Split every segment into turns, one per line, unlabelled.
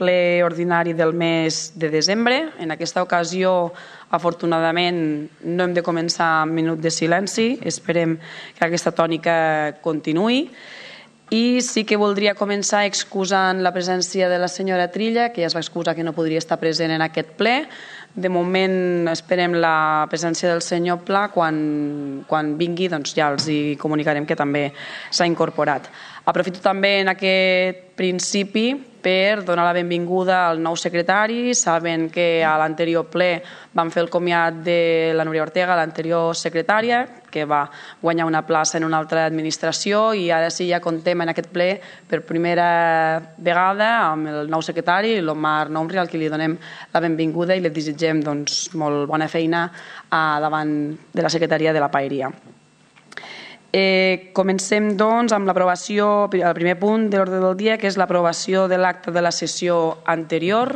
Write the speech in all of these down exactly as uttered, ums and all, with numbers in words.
ple ordinari del mes de desembre. En aquesta ocasió, afortunadament, no hem de començar amb minut de silenci. Esperem que aquesta tònica continuï. I sí que voldria començar excusant la presència de la senyora Trilla, que ja es va excusar que no podria estar present en aquest ple. De moment esperem la presència del senyor Pla. Quan, quan vingui doncs ja els hi comunicarem que també s'ha incorporat. Aprofito també en aquest principi per donar la benvinguda al nou secretari. Saben que a l'anterior ple vam fer el comiat de la Núria Ortega, l'anterior secretària, que va guanyar una plaça en una altra administració, i ara sí ja contem en aquest ple per primera vegada amb el nou secretari, l'Omar Nomri, al qui li donem la benvinguda i li desitgem doncs, molt bona feina davant de la secretaria de la Paeria. Eh, comencem doncs amb l'aprovació, el primer punt de l'ordre del dia, que és l'aprovació de l'acte de la sessió anterior.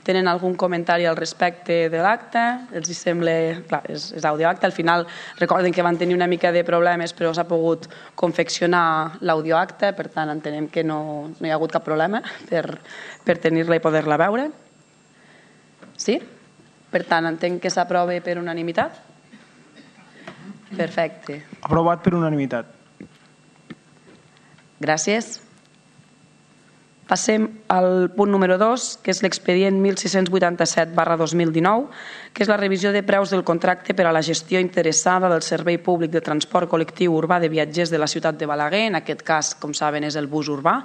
Tenen algun comentari al respecte de l'acte? Els hi sembla... Clar, és, és audioacte. Al final recorden que van tenir una mica de problemes, però s'ha pogut confeccionar l'audioacte, per tant entenem que no, no hi ha hagut cap problema per, per tenir-la i poder-la veure. Sí? Per tant, entenc que s'aprova per unanimitat? Perfecte.
Aprovat per unanimitat.
Gràcies. Passem al punt número dos, que és l'expedient mil sis-cents vuitanta-set barra dos mil dinou, que és la revisió de preus del contracte per a la gestió interessada del Servei Públic de Transport Col·lectiu Urbà de Viatgers de la ciutat de Balaguer. En aquest cas, com saben, és el bus urbà.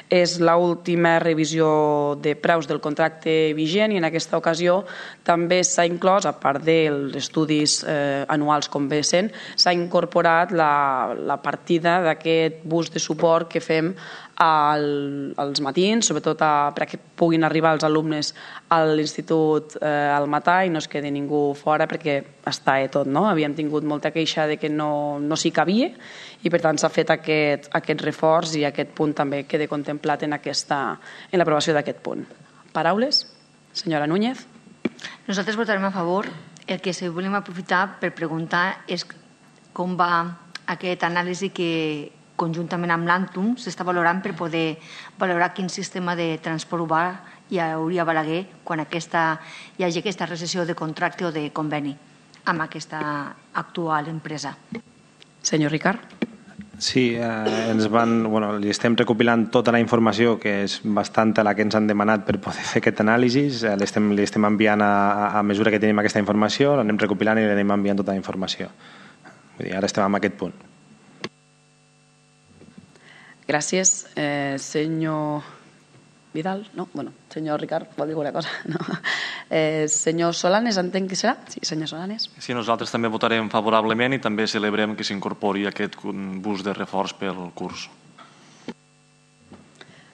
És l'última revisió de preus del contracte vigent i en aquesta ocasió també s'ha inclòs, a part dels estudis eh, anuals com ve sent, s'ha incorporat la, la partida d'aquest bus de suport que fem al, als matins, sobretot a, perquè puguin arribar els alumnes a l'institut eh, al matí i no es quedi ningú fora, perquè està eh, tot, no? Havíem tingut molta queixa de que no, no s'hi cabia i per tant s'ha fet aquest, aquest reforç i aquest punt també queda contemplat en, aquesta, en l'aprovació d'aquest punt. Paraules? Senyora Núñez.
Nosaltres votarem a favor. El que sí volem aprofitar per preguntar és com va aquest anàlisi que conjuntament amb l'Antum s'està valorant per poder valorar quin sistema de transport urbà hi hauria a Balaguer quan aquesta, hi hagi aquesta recessió de contracte o de conveni amb aquesta actual empresa.
Senyor Ricard.
Sí, eh, ens van, bueno, li estem recopilant tota la informació, que és bastant la que ens han demanat per poder fer aquest anàlisi. Eh, li, estem, li estem enviant a, a mesura que tenim aquesta informació, l'anem recopilant i l'anem enviant tota la informació. Vull dir, ara estem en aquest punt.
Gràcies. Eh, senyor Vidal? No? Bueno, senyor Ricard, vol dir alguna cosa? No. Eh, senyor Solanes, entenc que serà? Sí, senyor Solanes.
Sí, nosaltres també votarem favorablement i també celebrem que s'incorpori aquest bus de reforç pel curs.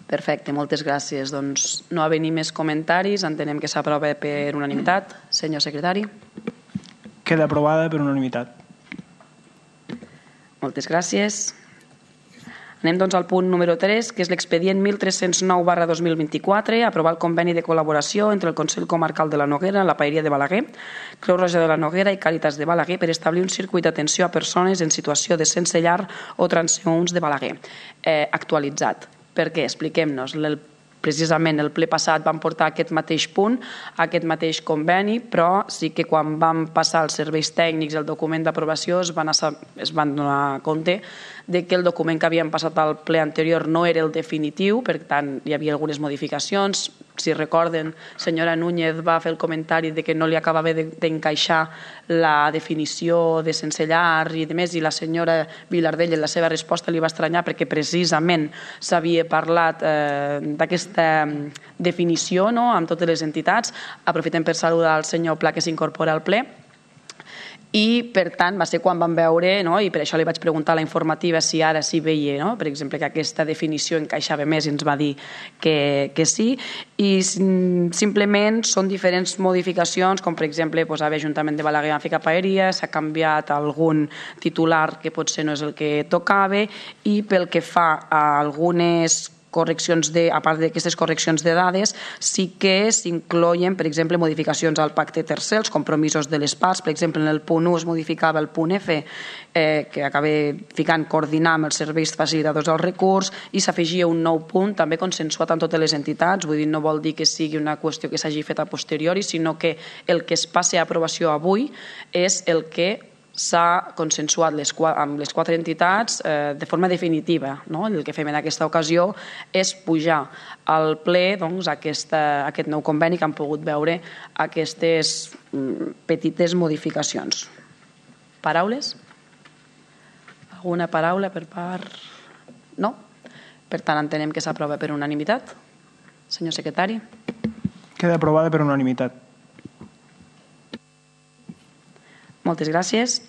Perfecte, moltes gràcies. Doncs no ha venit més comentaris, entenem que s'aprova per unanimitat. Senyor secretari.
Queda aprovada per unanimitat.
Moltes gràcies. Anem doncs al punt número tres, que és l'expedient mil tres-cents nou barra dos mil vint-i-quatre, aprovar el conveni de col·laboració entre el Consell Comarcal de la Noguera, la Paeria de Balaguer, Creu Roja de la Noguera i Càritas de Balaguer per establir un circuit d'atenció a persones en situació de sense llar o transeünts de Balaguer. Eh, actualitzat. Per què? Expliquem-nos. El Precisament el ple passat vam portar aquest mateix punt, aquest mateix conveni, però sí que quan vam passar els serveis tècnics el document d'aprovació es van, es van donar compte de que el document que havíem passat al ple anterior no era el definitiu, per tant hi havia algunes modificacions. Si recorden, senyora Núñez va fer el comentari de que no li acabava d'encaixar la definició de sense llar i de més, i la senyora Vilardell en la seva resposta li va estranyar perquè precisament s'havia parlat eh, d'aquesta definició, no?, amb totes les entitats. Aprofitem per saludar el senyor Pla que s'incorpora al ple. I, per tant, va ser quan vam veure, no? I per això li vaig preguntar a la informativa si ara sí veia, no? Per exemple, que aquesta definició encaixava més i ens va dir que, que sí. I simplement són diferents modificacions, com per exemple posar Ajuntament de Balaguer a ficar Paeria, s'ha canviat algun titular que potser no és el que tocava, i pel que fa a algunes correccions de, a part d'aquestes correccions de dades, sí que s'incloïen, per exemple, modificacions al pacte tercer, els compromisos de les parts. Per exemple, en el punt u es modificava el punt F, eh, que acaba ficant coordinar amb els serveis facilitadors del recurs, i s'afegia un nou punt, també consensuat amb totes les entitats. Vull dir, no vol dir que sigui una qüestió que s'hagi fet a posteriori, sinó que el que es passi a aprovació avui és el que s'ha consensuat les, amb les quatre entitats eh, de forma definitiva. No? El que fem en aquesta ocasió és pujar al ple doncs, aquesta, aquest nou conveni que han pogut veure aquestes mm, petites modificacions. Paraules? Alguna paraula per part? No? Per tant, entenem que s'aprova per unanimitat. Senyor secretari.
Queda aprovada per unanimitat.
Moltes gràcies.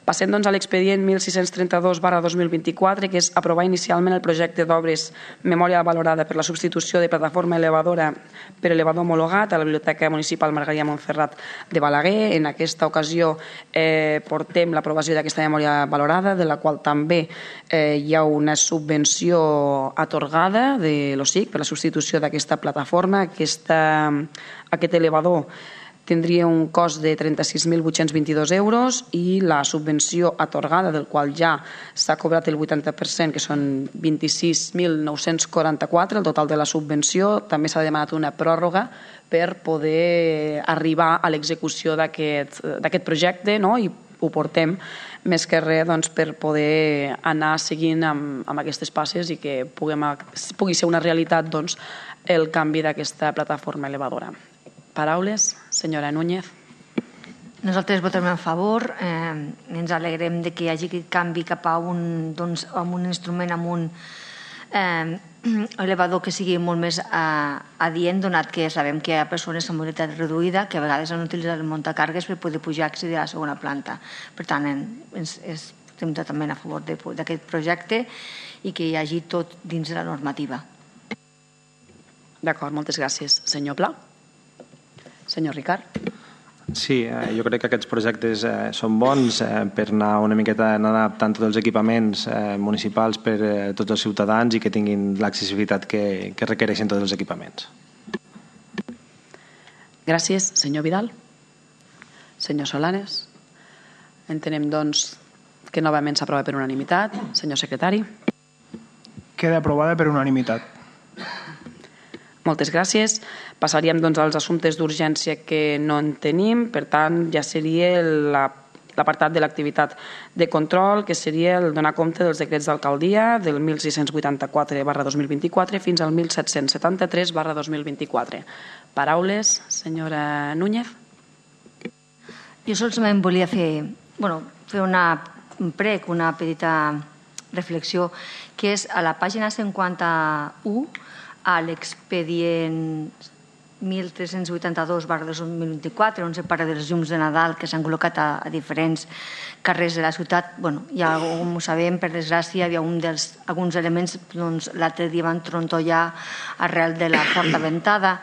Passem doncs, a l'expedient mil sis-cents trenta-dos barra dos mil vint-i-quatre, que és aprovar inicialment el projecte d'obres memòria valorada per la substitució de plataforma elevadora per elevador homologat a la Biblioteca Municipal Margarida Montferrat de Balaguer. En aquesta ocasió eh, portem l'aprovació d'aquesta memòria valorada, de la qual també eh, hi ha una subvenció atorgada de l'O S I C per la substitució d'aquesta plataforma. Aquesta, aquest elevador tindria un cost de trenta-sis mil vuit-cents vint-i-dos euros i la subvenció atorgada, del qual ja s'ha cobrat el vuitanta per cent, que són vint-i-sis mil nou-cents quaranta-quatre, el total de la subvenció. També s'ha demanat una pròrroga per poder arribar a l'execució d'aquest projecte, no? I ho portem més que res doncs, per poder anar seguint amb, amb aquestes passes i que puguem, pugui ser una realitat doncs, el canvi d'aquesta plataforma elevadora. Paraules? Senyora Núñez.
Nosaltres votarem a favor. Eh, ens alegrem de que hi hagi aquest canvi cap a un, doncs, amb un instrument, amb un eh, elevador que sigui molt més eh, adient, donat que sabem que hi ha persones amb mobilitat reduïda que a vegades han utilitzat el muntacargues per poder pujar a accedir a la segona planta. Per tant, ens, ens, estem totalment a favor d'aquest projecte i que hi hagi tot dins de la normativa.
D'acord, moltes gràcies. Senyor Pla. Senyor Ricard.
Sí, eh, jo crec que aquests projectes eh, són bons eh, per anar una miqueta anar adaptant tots els equipaments eh, municipals per eh, tots els ciutadans i que tinguin l'accessibilitat que, que requereixen tots els equipaments.
Gràcies. Senyor Vidal. Senyor Solanes. Entenem, doncs, que novament s'aprova per unanimitat. Senyor secretari.
Queda aprovada per unanimitat.
Moltes gràcies. Passaríem doncs, als assumptes d'urgència que no en tenim. Per tant, ja seria l'apartat de l'activitat de control, que seria el donar compte dels decrets d'alcaldia del mil sis-cents vuitanta-quatre barra dos mil vint-i-quatre fins al mil set-cents setanta-tres barra dos mil vint-i-quatre. Paraules, senyora Núñez.
Jo solament volia fer, bueno, fer una, un prec, una petita reflexió, que és a la pàgina cinquanta-u, a l'expedient mil tres-cents vuitanta-dos barra dos mil vint-i-quatre, on se parla dels llums de Nadal que s'han col·locat a, a diferents carrers de la ciutat. Bueno, ja com ho sabem, per desgràcia, hi havia un dels, alguns elements, doncs, l'altre dia van trontollar arrel de la forta ventada,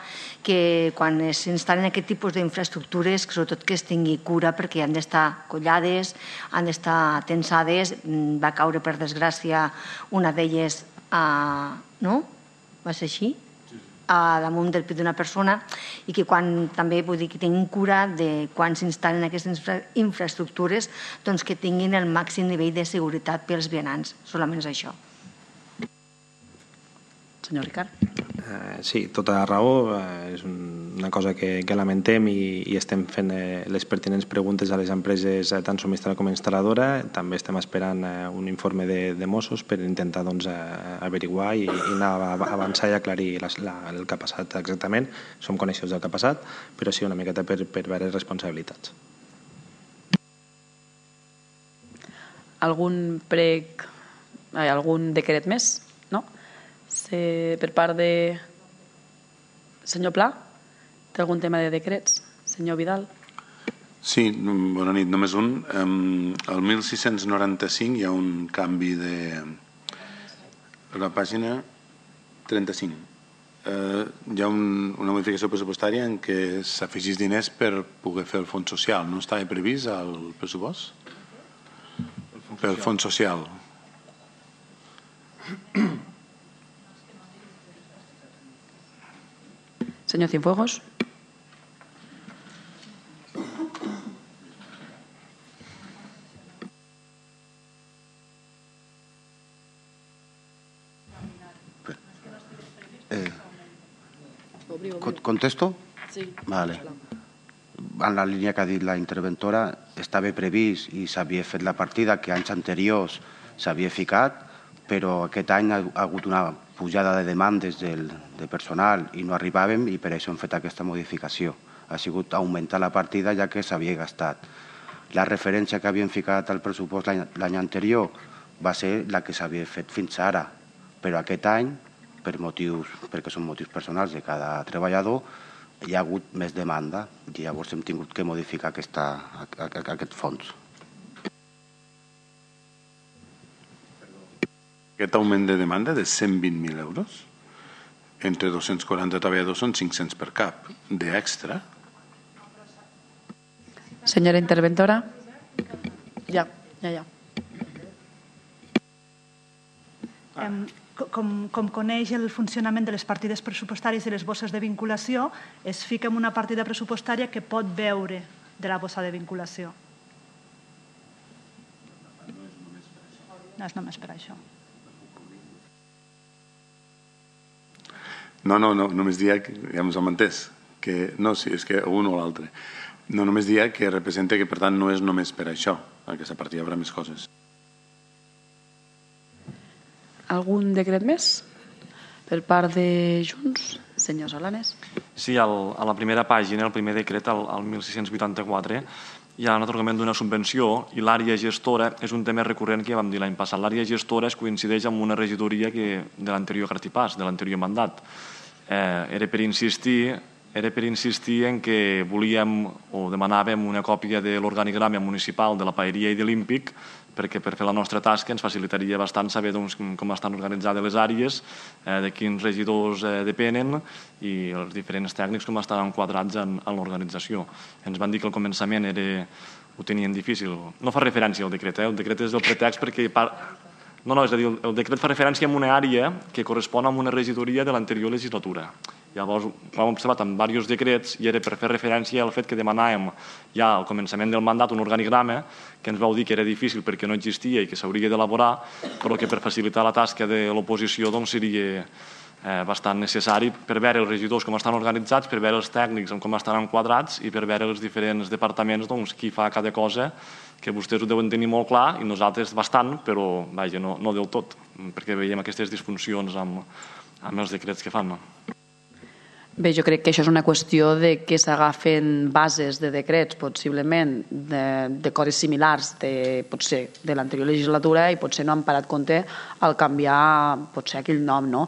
que quan s'instal·len aquest tipus d'infraestructures, sobretot que es tingui cura perquè han d'estar collades, han d'estar tensades. Va caure, per desgràcia, una d'elles a... no? Va ser així? A damunt del pit d'una persona, i que quan també vull dir que tinguin cura de quan s'instal·len aquestes infra infraestructures, doncs que tinguin el màxim nivell de seguretat pels vianants. Solament és això.
Senyor Ricard.
Eh, sí, tota la raó. Eh, és una cosa que, que lamentem i, i estem fent eh, les pertinents preguntes a les empreses, eh, tant subministradora com instal·ladora. També estem esperant eh, un informe de, de Mossos per intentar doncs, eh, averiguar i, i anar a avançar i aclarir la, la, el que ha passat exactament. Som coneixedors del que ha passat, però sí una miqueta per, per veure responsabilitats.
Algun prec, eh, algun decret més? No? Se, per part de... Senyor Pla, té algun tema de decrets? Senyor Vidal.
Sí, bona nit, només un. El mil sis-cents noranta-cinc hi ha un canvi de... A la pàgina trenta-cinc. Eh, hi ha un, una modificació pressupostària en què s'afegís diners per poder fer el fons social. No estava previst al pressupost? Pel fons social.
Senyor Cienfuegos.
Eh, ¿Contesto?
Sí.
Vale. En la línia que ha dit la interventora, estava previst i s'havia fet la partida que anys anteriors s'havia ficat, però aquest any ha hagut una pujada de demandes del, de personal i no arribàvem i per això hem fet aquesta modificació. Ha sigut augmentar la partida ja que s'havia gastat. La referència que havíem ficat al pressupost l'any anterior va ser la que s'havia fet fins ara, però aquest any, per motius, perquè són motius personals de cada treballador, hi ha hagut més demanda i llavors hem tingut que modificar aquesta, aquest fons.
Aquest augment de demanda de cent vint mil euros, entre dos-cents quaranta treballadors són cinc-cents per cap, d'extra.
Senyora interventora. Ja, ja, ja.
Um, com, com coneix el funcionament de les partides pressupostàries i les bosses de vinculació, es fica en una partida pressupostària que pot veure de la bossa de vinculació. No és només per això.
No, no, no, només dia que, ja ens hem entès, que no, sí, és que un o l'altre. No, només dia que representa que, per tant, no és només per això, aquesta partida hi haurà més coses.
Algun decret més? Per part de Junts, senyor Solanes.
Sí, al, a la primera pàgina, el primer decret, el, el mil sis-cents vuitanta-quatre, hi ha l'atorgament d'una subvenció i l'àrea gestora és un tema recurrent que ja vam dir l'any passat. L'àrea gestora es coincideix amb una regidoria que, de l'anterior cartipàs, de l'anterior mandat. Eh, era per insistir era per insistir en que volíem o demanàvem una còpia de l'organigrama municipal de la Paeria i de l'Ímpic perquè per fer la nostra tasca ens facilitaria bastant saber doncs, com estan organitzades les àrees, eh, de quins regidors eh, depenen i els diferents tècnics com estan enquadrats en, en l'organització. Ens van dir que al començament era, ho tenien difícil. No fa referència al decret, eh? El decret és el pretext perquè... Par... No, no, és a dir, el decret fa referència a una àrea que correspon a una regidoria de l'anterior legislatura. Llavors, ho hem observat en diversos decrets i era per fer referència al fet que demanàvem ja al començament del mandat un organigrama que ens vau dir que era difícil perquè no existia i que s'hauria d'elaborar, però que per facilitar la tasca de l'oposició doncs, seria eh, bastant necessari per veure els regidors com estan organitzats, per veure els tècnics com estan enquadrats i per veure els diferents departaments doncs, qui fa cada cosa, que vostès ho deuen tenir molt clar i nosaltres bastant, però vaja, no, no del tot, perquè veiem aquestes disfuncions amb, amb els decrets que fan. No?
Bé, jo crec que això és una qüestió de que s'agafen bases de decrets, possiblement, de, de coses similars de, potser, de l'anterior legislatura i potser no han parat compte al canviar potser aquell nom. No?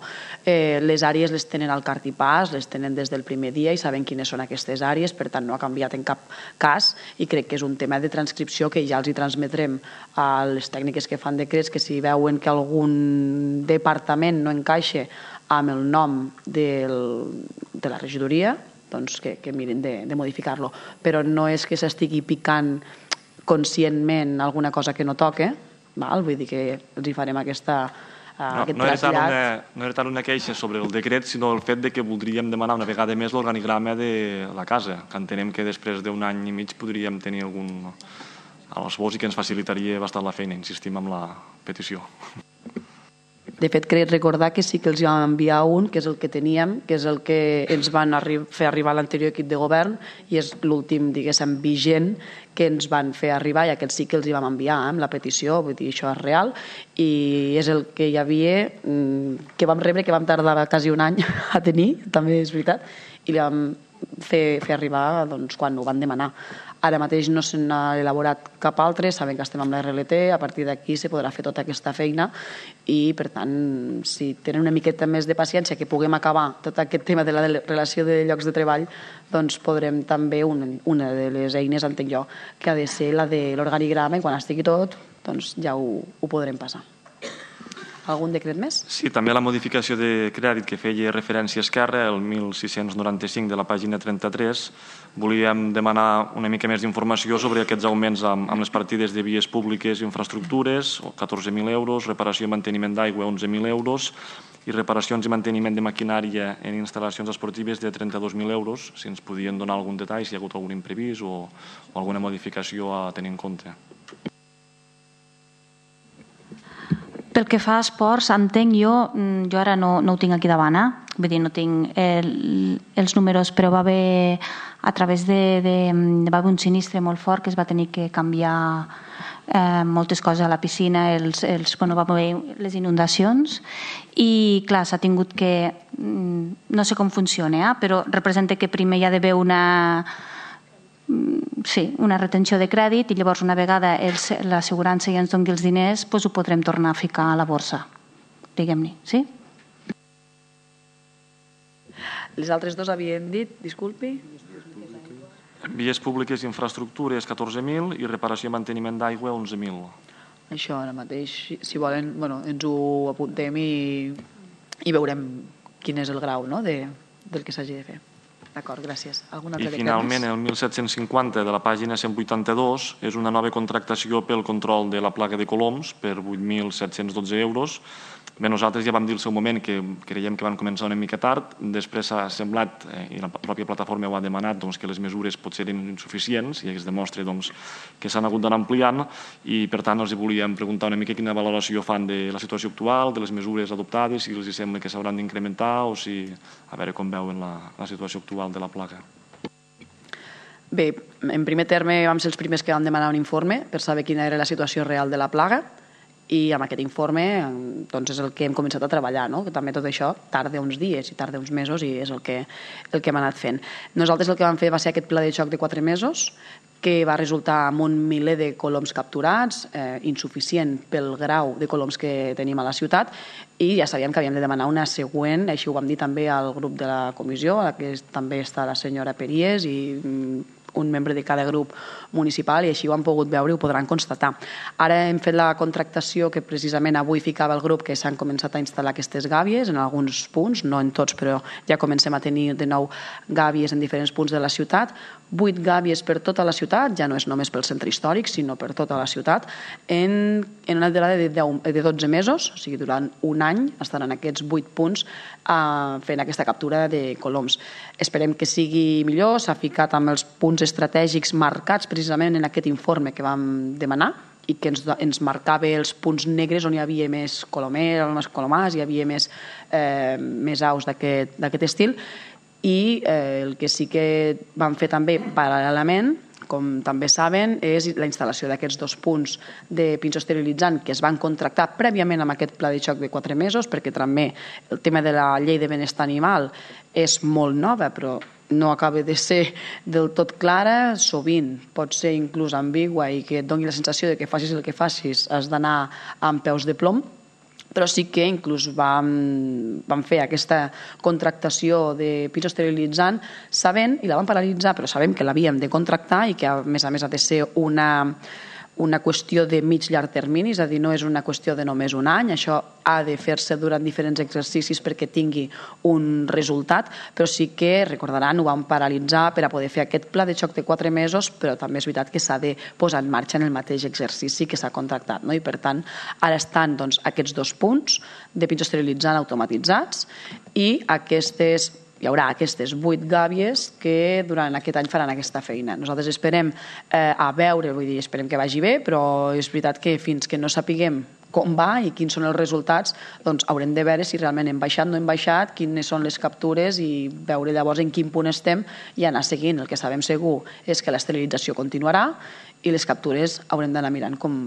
Eh, les àrees les tenen al cartipàs, les tenen des del primer dia i saben quines són aquestes àrees, per tant no ha canviat en cap cas i crec que és un tema de transcripció que ja els hi transmetrem a les tècniques que fan decrets, que si veuen que algun departament no encaixa amb el nom del, de la regidoria, doncs que, que mirin de, de modificar-lo. Però no és que s'estigui picant conscientment alguna cosa que no toque, val? Vull dir que els hi farem aquesta, uh,
no,
aquest
no
trasllat.
Era una, no era tant una queixa sobre el decret, sinó el fet de que voldríem demanar una vegada més l'organigrama de la casa, que entenem que després d'un any i mig podríem tenir algun a l'esbós i que ens facilitaria bastant la feina, insistim amb la petició.
De fet, crec recordar que sí que els vam enviar un, que és el que teníem, que és el que ens van arri fer arribar a l'anterior equip de govern i és l'últim, diguéssim, vigent que ens van fer arribar i aquest sí que els hi vam enviar amb la petició, vull dir, això és real i és el que hi havia, que vam rebre, que vam tardar quasi un any a tenir, també és veritat, i li vam fer, fer arribar doncs, quan ho van demanar. Ara mateix no se n'ha elaborat cap altre, saben que estem amb la R L T, a partir d'aquí se podrà fer tota aquesta feina i, per tant, si tenen una miqueta més de paciència que puguem acabar tot aquest tema de la relació de llocs de treball, doncs podrem també, una, una de les eines, entenc jo, que ha de ser la de l'organigrama i quan estigui tot, doncs ja ho, ho podrem passar. Algun decret més?
Sí, també la modificació de crèdit que feia referència a Esquerra, el mil sis-cents noranta-cinc de la pàgina trenta-tres, volíem demanar una mica més d'informació sobre aquests augments amb, amb les partides de vies públiques i infraestructures, catorze mil euros, reparació i manteniment d'aigua, onze mil euros, i reparacions i manteniment de maquinària en instal·lacions esportives de trenta-dos mil euros, si ens podien donar algun detall, si hi ha hagut algun imprevist o, o alguna modificació a tenir en compte.
Pel que fa a esports, entenc jo, jo ara no, no ho tinc aquí davant, eh? Vull dir, no tinc el, els números, però va haver, a través de, de, va haver un sinistre molt fort que es va tenir que canviar eh, moltes coses a la piscina, els, els, bueno, va haver les inundacions i, clar, s'ha tingut que, no sé com funciona, eh? Però representa que primer hi ha d'haver una... Sí, una retenció de crèdit i llavors una vegada l'assegurança ja ens doni els diners doncs ho podrem tornar a ficar a la borsa, diguem-ne, sí?
Les altres dos havien dit, disculpi?
Vies públiques i infraestructures catorze mil i reparació i manteniment d'aigua onze mil.
Això ara mateix, si volen, bueno, ens ho apuntem i, i veurem quin és el grau, no?, de, del que s'hagi de fer. D'acord, gràcies. Algun altre
I finalment el mil set-cents cinquanta de la pàgina cent vuitanta-dos és una nova contractació pel control de la plaga de coloms per vuit mil set-cents dotze euros. Bé, nosaltres ja vam dir al seu moment que creiem que van començar una mica tard, després s'ha semblat, eh, i la pròpia plataforma ho ha demanat, doncs, que les mesures potser eren insuficients i es demostra doncs, que s'han hagut d'anar ampliant i per tant els volíem preguntar una mica quina valoració fan de la situació actual, de les mesures adoptades, si els sembla que s'hauran d'incrementar o si, a veure com veuen la, la situació actual de la plaga.
Bé, en primer terme vam ser els primers que vam demanar un informe per saber quina era la situació real de la plaga i amb aquest informe doncs és el que hem començat a treballar, no? Que també tot això tarda uns dies i tarda uns mesos i és el que, el que hem anat fent. Nosaltres el que vam fer va ser aquest pla de xoc de quatre mesos que va resultar amb un miler de coloms capturats, eh, insuficient pel grau de coloms que tenim a la ciutat i ja sabíem que havíem de demanar una següent, així ho vam dir també al grup de la comissió, a la que també està la senyora Peries i un membre de cada grup municipal i així ho han pogut veure i ho podran constatar. Ara hem fet la contractació que precisament avui ficava el grup que s'han començat a instal·lar aquestes gàbies en alguns punts, no en tots, però ja comencem a tenir de nou gàbies en diferents punts de la ciutat. Vuit gàbies per tota la ciutat, ja no és només pel centre històric, sinó per tota la ciutat, en, en una durada de, de dotze mesos, o sigui, durant un any estaran aquests vuit punts eh, fent aquesta captura de coloms. Esperem que sigui millor, s'ha ficat amb els punts estratègics marcats precisament en aquest informe que vam demanar i que ens, ens marcava els punts negres on hi havia més colomers, més colomars, hi havia més, eh, més aus d'aquest estil i eh, el que sí que vam fer també paral·lelament, com també saben, és la instal·lació d'aquests dos punts de pinso esterilitzant que es van contractar prèviament amb aquest pla de xoc de quatre mesos perquè també el tema de la llei de benestar animal és molt nova però no acaba de ser del tot clara, sovint pot ser inclús ambigua i que et doni la sensació de que facis el que facis has d'anar amb peus de plom, però sí que inclús vam, vam fer aquesta contractació de pis esterilitzant sabent, i la vam paralitzar, però sabem que l'havíem de contractar i que a més a més ha de ser una, una qüestió de mig llarg termini, és a dir, no és una qüestió de només un any, això ha de fer-se durant diferents exercicis perquè tingui un resultat, però sí que, recordaran, ho vam paralitzar per a poder fer aquest pla de xoc de quatre mesos, però també és veritat que s'ha de posar en marxa en el mateix exercici que s'ha contractat, no? I per tant, ara estan doncs, aquests dos punts de pinso esterilitzant automatitzats i aquestes hi haurà aquestes vuit gàbies que durant aquest any faran aquesta feina. Nosaltres esperem eh, a veure, vull dir, esperem que vagi bé, però és veritat que fins que no sapiguem com va i quins són els resultats, doncs haurem de veure si realment hem baixat, no hem baixat, quines són les captures i veure llavors en quin punt estem i anar seguint. El que sabem segur és que l'esterilització continuarà i les captures haurem d'anar mirant com,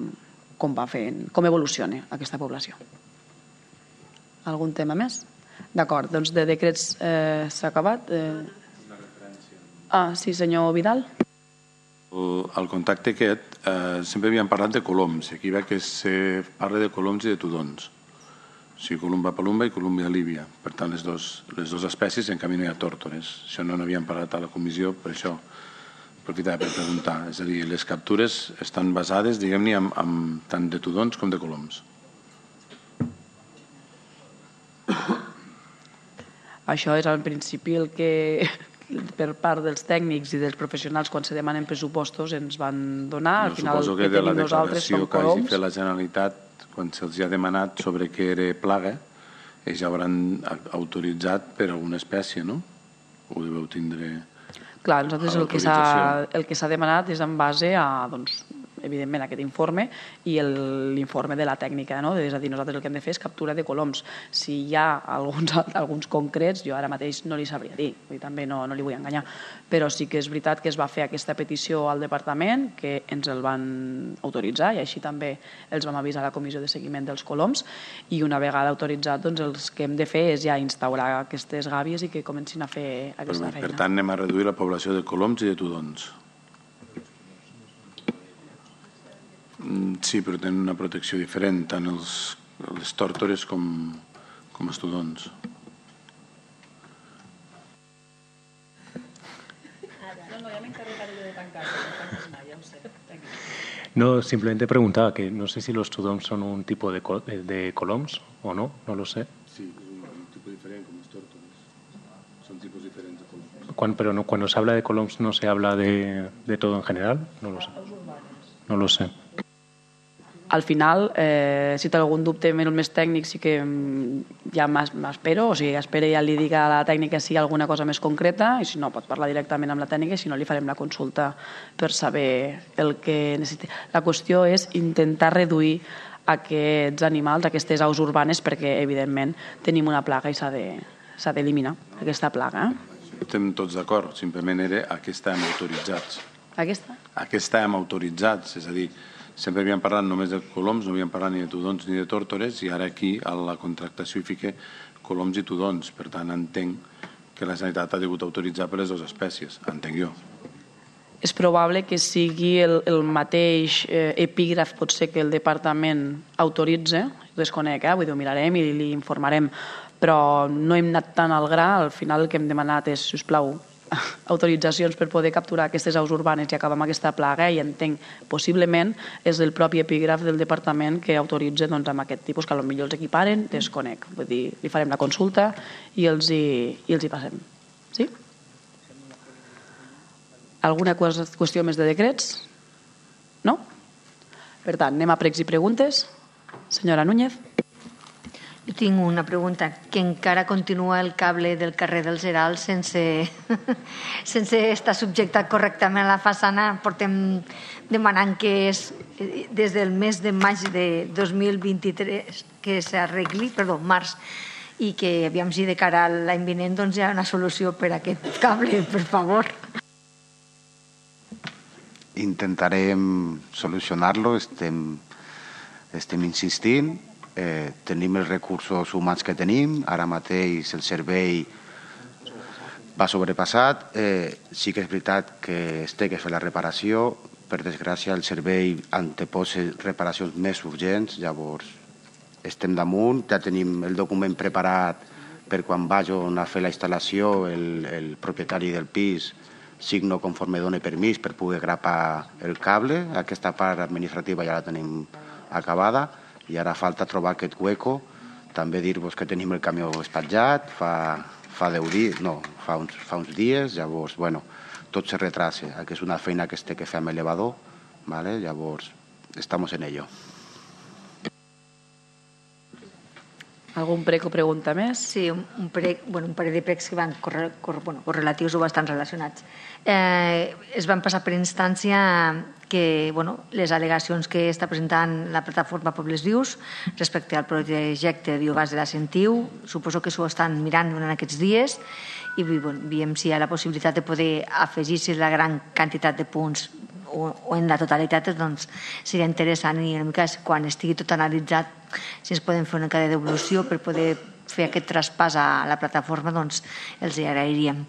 com va fent, com evoluciona aquesta població. Algun tema més? D'acord, doncs de decrets eh, s'ha acabat. Eh... Ah, sí, senyor Vidal.
El contacte aquest, eh, sempre havíem parlat de coloms, i aquí ve que se parla de coloms i de tudons. O sigui, columba palumba i columbia líbia. Per tant, les dues les dos espècies, en canvi no hi ha tòrtores. Això no n'havíem parlat a la comissió, per això aprofitava per preguntar. És a dir, les captures estan basades, diguem-ne, en, en tant de tudons com de coloms.
Això és al principi el que per part dels tècnics i dels professionals quan se demanen pressupostos ens van donar. Al
No,
final
suposo
el
que
que
de la
tenim nosaltres
declaració
són
que hagi
coloms.
fet la Generalitat quan se'ls ha demanat sobre què era plaga ells ja hauran autoritzat per alguna espècie, no? Ho deveu tindre...
Clar, nosaltres el que s'ha el que s'ha demanat és en base a, doncs, evidentment, aquest informe i l'informe de la tècnica, no? És a dir, nosaltres el que hem de fer és captura de coloms. Si hi ha alguns, alguns concrets, jo ara mateix no li sabria dir, vull dir, també no, no li vull enganyar, però sí que és veritat que es va fer aquesta petició al departament, que ens el van autoritzar i així també els vam avisar a la comissió de seguiment dels coloms, i una vegada autoritzat, doncs el que hem de fer és ja instaurar aquestes gàbies i que comencin a fer aquesta feina.
Per tant, anem a reduir la població de coloms i de tudons. Sí, però tenen una protecció diferent, tant els, les tòrtores com, com els tudons.
No, simplemente preguntaba que no sé si los tudons son un tipo de, col de coloms o no, no lo sé.
Sí, es un tipo diferente como los tórtoles. Son tipos diferentes de coloms.
Cuando, pero no, cuando se habla de coloms no se habla de, de todo en general, no lo sé. No lo sé.
Al final, eh, si té algun dubte més tècnic, sí que ja m'espero, o sigui, espero ja li dic a la tècnica si hi ha alguna cosa més concreta, i si no, pot parlar directament amb la tècnica, i si no, li farem la consulta per saber el que necessita. La qüestió és intentar reduir aquests animals, aquestes aus urbanes, perquè, evidentment, tenim una plaga i s'ha d'eliminar, aquesta plaga.
Estem tots d'acord, simplement era a què estàvem autoritzats.
Aquesta?
A què estàvem autoritzats, és a dir, sempre havíem parlat només de coloms, no havíem parlat ni de tudons ni de tòrtores, i ara aquí a la contractació hi fica coloms i tudons. Per tant, entenc que la Generalitat ha degut autoritzar per les dues espècies, entenc jo.
És probable que sigui el, el mateix eh, epígraf, pot ser que el departament autoritze, desconec, eh? Vull dir, ho mirarem i li informarem, però no hem anat tan al gra. Al final el que hem demanat és, sisplau, autoritzacions per poder capturar aquestes aus urbanes i acabar amb aquesta plaga, i entenc, possiblement és el propi epígraf del departament que autoritza, doncs, amb aquest tipus, que potser els equiparen, desconec. Vull dir, li farem la consulta i els hi, i els hi passem. Sí? Alguna qüestió més de decrets? No? Per tant, anem a pregs i preguntes. Senyora Núñez.
Jo tinc una pregunta, que encara continua el cable del carrer dels Herals sense, sense estar subjectat correctament a la façana. Portem demanant que és des del mes de maig de dos mil vint-i-tres que s'arregli, perdó, març, i que aviam si de cara a l'any vinent doncs hi ha una solució per a aquest cable, per favor.
Intentarem solucionar-lo, estem, estem insistint. Eh, tenim els recursos humans que tenim, ara mateix el servei va sobrepassat, eh, sí que és veritat que es té que fer la reparació, per desgràcia el servei anteposa reparacions més urgents, llavors estem damunt, ja tenim el document preparat per quan vagin a fer la instal·lació, el, el propietari del pis signo conforme doni permís per poder grapar el cable, aquesta part administrativa ja la tenim acabada, i ara falta trobar aquest hueco. També dir-vos que tenim el camió espatjat, fa, fa deu dies, no, fa uns, fa uns dies, llavors, bueno, tot se retrasa, que és una feina que es té que fer amb elevador, ¿vale? Llavors, estamos en ello.
Algun prec o pregunta més?
Sí, un, un, prec, bueno, un parell de precs que van corre, corre, bueno, correlatius o bastant relacionats. Eh, es van passar per instància que bueno, les al·legacions que està presentant la plataforma Pobles Vius respecte al projecte de biogàs de la Sentiu, suposo que s'ho estan mirant durant aquests dies i bueno, veiem si hi ha la possibilitat de poder afegir si la gran quantitat de punts o, o en la totalitat, doncs seria interessant i una mica quan estigui tot analitzat si ens podem fer una cadena d'evolució per poder fer aquest traspàs a la plataforma, doncs els hi agrairíem.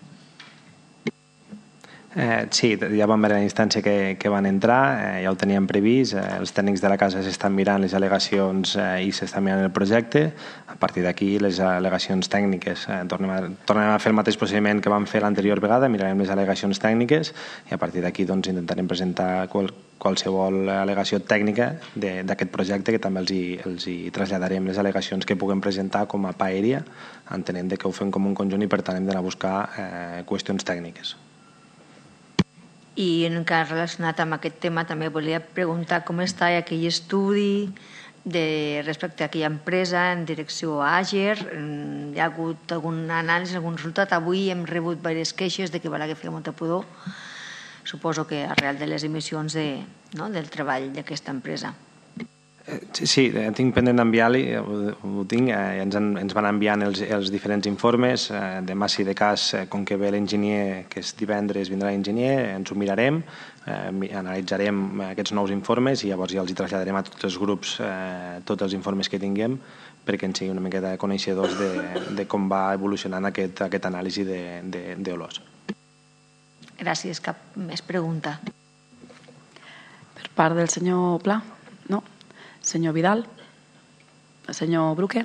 Eh, sí, ja vam veure la instància que, que van entrar, eh, ja ho teníem previst, eh, els tècnics de la casa s'estan mirant les al·legacions eh, i s'estan mirant el projecte. A partir d'aquí, les al·legacions tècniques, eh, tornem, a, tornem a fer el mateix procediment que vam fer l'anterior vegada, mirarem les al·legacions tècniques i a partir d'aquí doncs, intentarem presentar qual, qualsevol al·legació tècnica d'aquest projecte, que també els hi, els hi traslladarem les al·legacions que puguem presentar com a P A aèria, entenent que ho fem com un conjunt i per tant hem d'anar a buscar eh, qüestions tècniques.
I en cas relacionat amb aquest tema també volia preguntar com està aquell estudi de, respecte a aquella empresa en direcció a Àger. Hi ha hagut algun anàlisi, algun resultat. Avui hem rebut diverses queixes de que Balaguer feia molta pudor. Suposo que arrel de les emissions de, no, del treball d'aquesta empresa.
Sí, sí, tinc pendent d'enviar-li, ho, ho tinc, eh, ens, en, ens van enviant els, els diferents informes, eh, demà si de cas, eh, com que ve l'enginyer, que és divendres vindrà l'enginyer, ens ho mirarem, eh, analitzarem aquests nous informes i llavors ja els hi traslladarem a tots els grups eh, tots els informes que tinguem perquè ens siguin una miqueta coneixedors de, de com va evolucionant aquest, aquest anàlisi d'olors.
Gràcies. Cap més pregunta?
Per part del senyor Pla? No? Senyor Vidal? El senyor Bruque?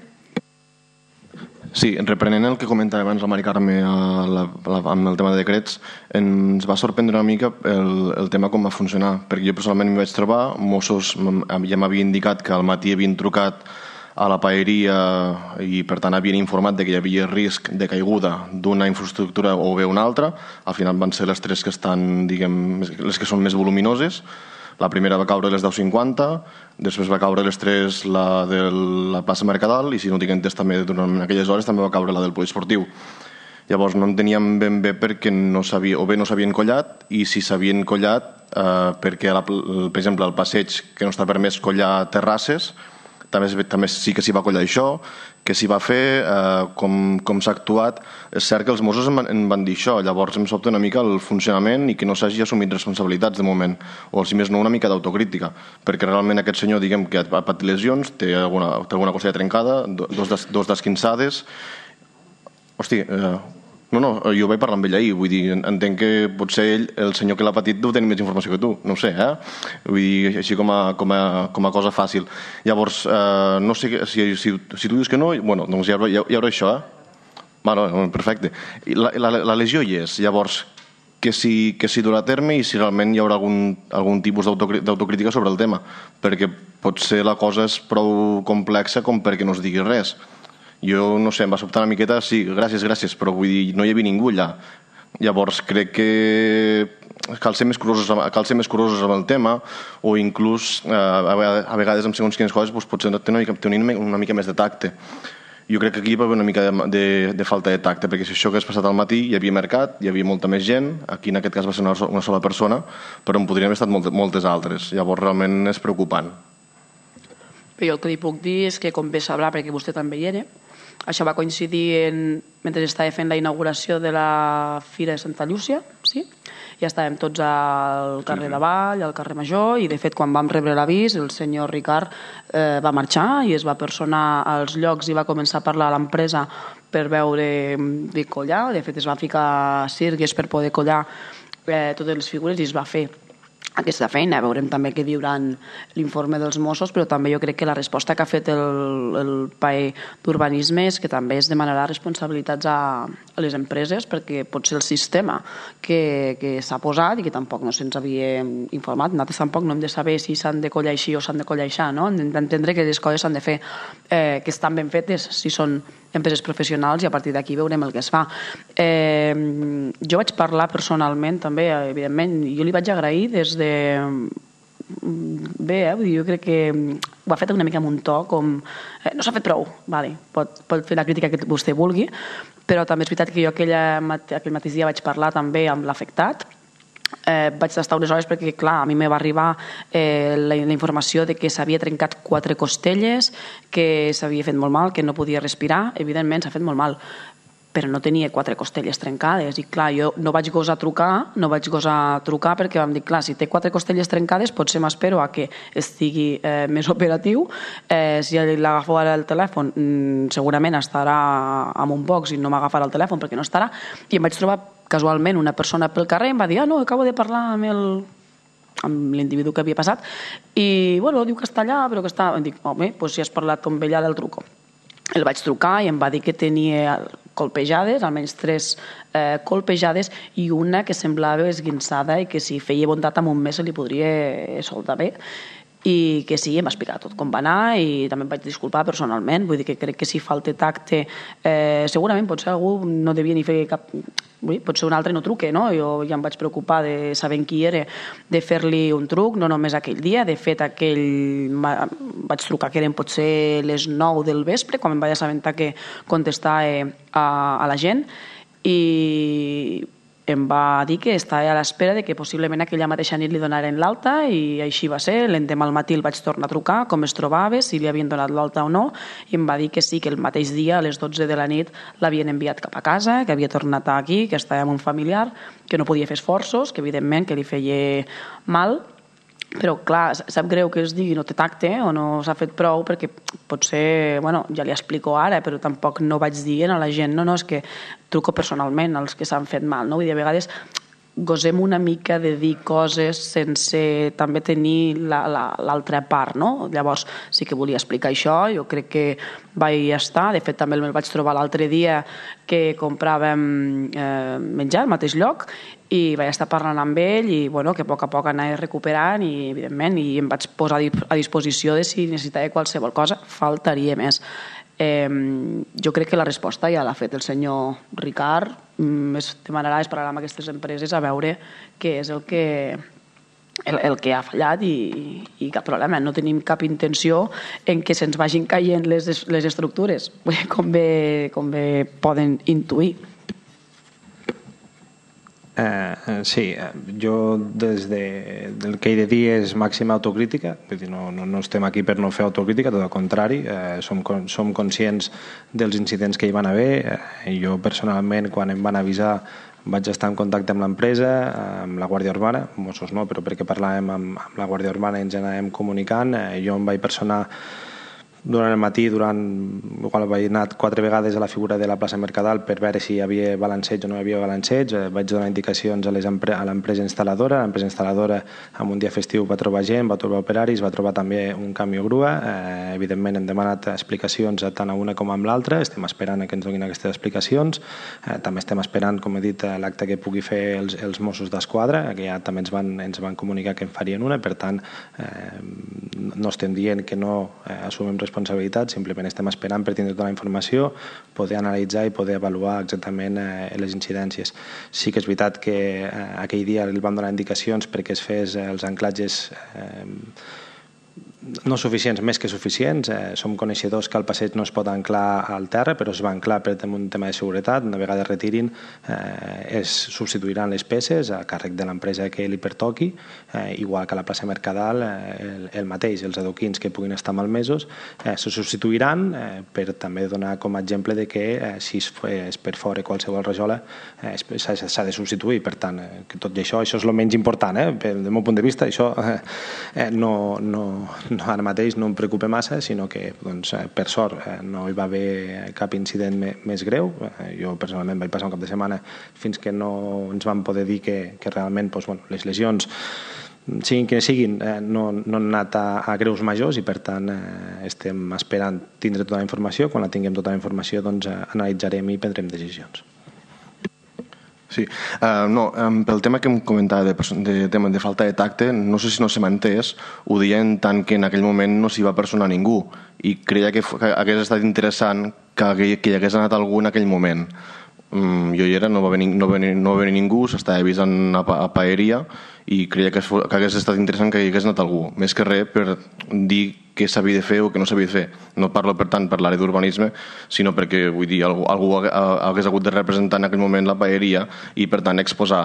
Sí, reprenent el que comentava abans la Mari Carme a la, a la, amb el tema de decrets, ens va sorprendre una mica el, el tema com va funcionar, perquè jo personalment m'hi vaig trobar, Mossos ja m'havia indicat que al matí havien trucat a la paeria i per tant havien informat de que hi havia risc de caiguda d'una infraestructura o bé una altra. Al final van ser les tres que estan, diguem, les que són més voluminoses. La primera va caure a les deu cinquanta, després va caure a les tres la de la plaça Mercadal i, si no tinc entès, també durant aquelles hores també va caure la del poliesportiu. Llavors no enteníem ben bé perquè no sabia, o bé no s'havien collat, i si s'havien collat eh, perquè, la, per exemple, al passeig que no està permès collar terrasses, també, també sí que s'hi va collar això, que s'hi va fer, eh, com, com s'ha actuat. És cert que els Mossos em van, em van dir això, llavors em sobta una mica el funcionament i que no s'hagi assumit responsabilitats de moment, o si més no una mica d'autocrítica, perquè realment aquest senyor, diguem, que ha patit lesions, té alguna, té alguna costella trencada, dos, des, dos desquinçades. Hosti, eh, no, no, jo vaig parlar amb ell ahir, vull dir, entenc que potser ell, el senyor que l'ha patit, deu tenir més informació que tu, no ho sé, eh? Vull dir, així com a, com a, com a cosa fàcil. Llavors, eh, no sé, si, si, si tu dius que no, bueno, doncs hi haurà, hi haurà això, eh? Bueno, perfecte. La, la, la lesió hi és, llavors, que si, que si durà a terme i si realment hi haurà algun, algun tipus d'autocrítica sobre el tema, perquè potser la cosa és prou complexa com perquè no es digui res. Jo, no sé, em va sobtar una miqueta, sí, gràcies, gràcies, però vull dir, no hi havia ningú allà. Llavors, crec que cal ser més curosos, cal ser més curosos amb el tema, o inclús, eh, a vegades, amb segons quines coses, doncs, potser tenir una, mica, tenir una mica més de tacte. Jo crec que aquí hi va haver una mica de, de, de falta de tacte, perquè si això que has passat al matí hi havia mercat, hi havia molta més gent, aquí en aquest cas va ser una, una sola persona, però en podrien haver estat moltes, moltes altres. Llavors, realment és preocupant.
Jo el que li puc dir és que, com bé sabrà, perquè vostè també hi era, això va coincidir en, mentre estava fent la inauguració de la Fira de Santa Llúcia, sí? Ja estàvem tots al carrer de Vall, al carrer Major, i de fet quan vam rebre l'avís el senyor Ricard eh, va marxar i es va personar als llocs i va començar a parlar a l'empresa per veure de collar. De fet es va ficar cirgues per poder collar eh, totes les figures i es va fer aquesta feina. Veurem també què diuran l'informe dels Mossos, però també jo crec que la resposta que ha fet el, el P A E d'Urbanisme és que també es demanarà responsabilitats a, a les empreses, perquè pot ser el sistema que, que s'ha posat i que tampoc no se'ns havia informat. Nosaltres tampoc no hem de saber si s'han de collar així o s'han de collar així, no? Hem d'entendre que les coses s'han de fer, eh, que estan ben fetes, si són empreses professionals, i a partir d'aquí veurem el que es fa. Eh, jo vaig parlar personalment també, evidentment, jo li vaig agrair des de... Bé, eh? Vull dir, jo crec que ho ha fet una mica amb un to com... Eh, no s'ha fet prou, vale. pot, pot fer la crítica que vostè vulgui, però també és veritat que jo aquella, aquell mateix dia vaig parlar també amb l'afectat. Eh, vaig estar unes hores perquè, clar, a mi me va arribar eh, la, la informació de que s'havia trencat quatre costelles, que s'havia fet molt mal, que no podia respirar. Evidentment s'ha fet molt mal, però no tenia quatre costelles trencades, i clar, jo no vaig gosar trucar, no vaig gosar trucar perquè vam dir, clar, si té quatre costelles trencades potser m'espero a que estigui eh, més operatiu, eh, si l'agafo ara el telèfon mm, segurament estarà amb un box i no m'agafarà el telèfon perquè no estarà, i em vaig trobar casualment una persona pel carrer i em va dir, ah no, acabo de parlar amb el amb l'individu que havia passat i bueno, diu que està allà, però que està... Em dic, home, doncs si has parlat amb ella del truco. El vaig trucar i em va dir que tenia colpejades, almenys tres eh, colpejades, i una que semblava esguinçada i que si feia bondat amb un mes se li podria soldar bé. i que sí, em va explicar tot com va anar i també em vaig disculpar personalment, vull dir que crec que si falta tacte eh, segurament potser algú no devia ni fer cap... Vull dir, potser un altre no truque, no? Jo ja em vaig preocupar de saber qui era, de fer-li un truc, no només aquell dia, de fet aquell... vaig trucar que eren potser les nou del vespre, quan em vaig assabentar que contestava a, a la gent i em va dir que estava a l'espera de que possiblement aquella mateixa nit li donaren l'alta i així va ser. L'endemà al matí el vaig tornar a trucar, com es trobava, si li havien donat l'alta o no, i em va dir que sí, que el mateix dia a les dotze de la nit l'havien enviat cap a casa, que havia tornat aquí, que estava amb un familiar, que no podia fer esforços, que evidentment que li feia mal, però clar, sap greu que es digui no té tacte o no s'ha fet prou perquè potser, bueno, ja li explico ara, però tampoc no vaig dient a la gent, no, no, és que truco personalment als que s'han fet mal, no? Vull dir, a vegades gosem una mica de dir coses sense també tenir l'altra part, no? Llavors sí que volia explicar això, jo crec que vaig estar, de fet també me'l vaig trobar l'altre dia que compràvem eh, menjar al mateix lloc i vaig estar parlant amb ell i bueno, que a poc a poc anava recuperant i evidentment i em vaig posar a disposició de si necessitava qualsevol cosa, faltaria més. Eh, jo crec que la resposta ja l'ha fet el senyor Ricard, mm, es demanarà, es parlarà amb aquestes empreses a veure què és el que el, el que ha fallat i, i cap problema, no tenim cap intenció en que se'ns vagin caient les, les estructures, com bé, com bé poden intuir.
Eh, sí, jo des de, del que he de dir és màxima autocrítica, vull dir, no, no, no estem aquí per no fer autocrítica, tot al contrari, eh, som, som conscients dels incidents que hi van haver, eh, jo personalment quan em van avisar vaig estar en contacte amb l'empresa, amb la Guàrdia Urbana, Mossos no, però perquè parlàvem amb, amb la Guàrdia Urbana i ens anàvem comunicant, eh, jo em vaig personar durant el matí, durant, igual vaig anar quatre vegades a la figura de la plaça Mercadal per veure si hi havia balanceig o no hi havia balanceig, eh, vaig donar indicacions a, les empre a l'empresa instal·ladora, l'empresa instal·ladora en un dia festiu va trobar gent, va trobar operaris, va trobar també un camió grua, eh, evidentment hem demanat explicacions tant a una com a l'altra, estem esperant que ens donin aquestes explicacions, eh, també estem esperant, com he dit, l'acte que pugui fer els, els Mossos d'Esquadra, que ja també ens van, ens van comunicar que en farien una, per tant eh, no estem dient que no eh, assumim responsabilitat, simplement estem esperant per tindre tota la informació, poder analitzar i poder avaluar exactament eh, les incidències. Sí que és veritat que eh, aquell dia li vam donar indicacions perquè es fes eh, els anclatges eh, no suficients, més que suficients. Eh, som coneixedors que el passeig no es pot anclar al terra, però es va anclar per un tema de seguretat. Una vegada retirin, eh, es substituiran les peces a càrrec de l'empresa que li pertoqui, eh, igual que a la plaça Mercadal, eh, el, el mateix, els adoquins que puguin estar malmesos, eh, se substituiran eh, per també donar com a exemple de que eh, si es, es per fora qualsevol rajola eh, s'ha de substituir. Per tant, eh, que tot i això, això és el menys important, eh, del meu punt de vista, això eh, no, no No, ara mateix no em preocupa massa, sinó que doncs, per sort no hi va haver cap incident més greu. Jo personalment vaig passar un cap de setmana fins que no ens van poder dir que, que realment doncs, bueno, les lesions siguin que siguin, no, no han anat a, a greus majors i per tant estem esperant tindre tota la informació. Quan la tinguem tota la informació doncs analitzarem i prendrem decisions.
Sí, uh, no, um, pel tema que em comentava de, de, de, de falta de tacte, no sé si no se m'ha entès, ho deien tant que en aquell moment no s'hi va personar ningú i creia que, que hagués estat interessant que, que hi hagués anat algú en aquell moment. Um, jo hi era, no va venir, no va venir, no va venir ningú, s'estava avisant a, a Paeria i creia que, que hagués estat interessant que hi hagués anat algú, més que res per dir què s'havia de fer o què no s'havia de fer. No parlo, per tant, per l'àrea d'urbanisme, sinó perquè, vull dir, algú, algú hagués hagut de representar en aquell moment la paeria i, per tant, exposar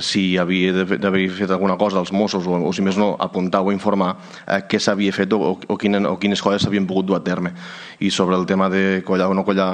si havia d'haver fet alguna cosa als Mossos o, o si més no, apuntar o informar eh, què s'havia fet o, o, quina, o quines coses s'havien pogut dur a terme. I sobre el tema de collar o no collar,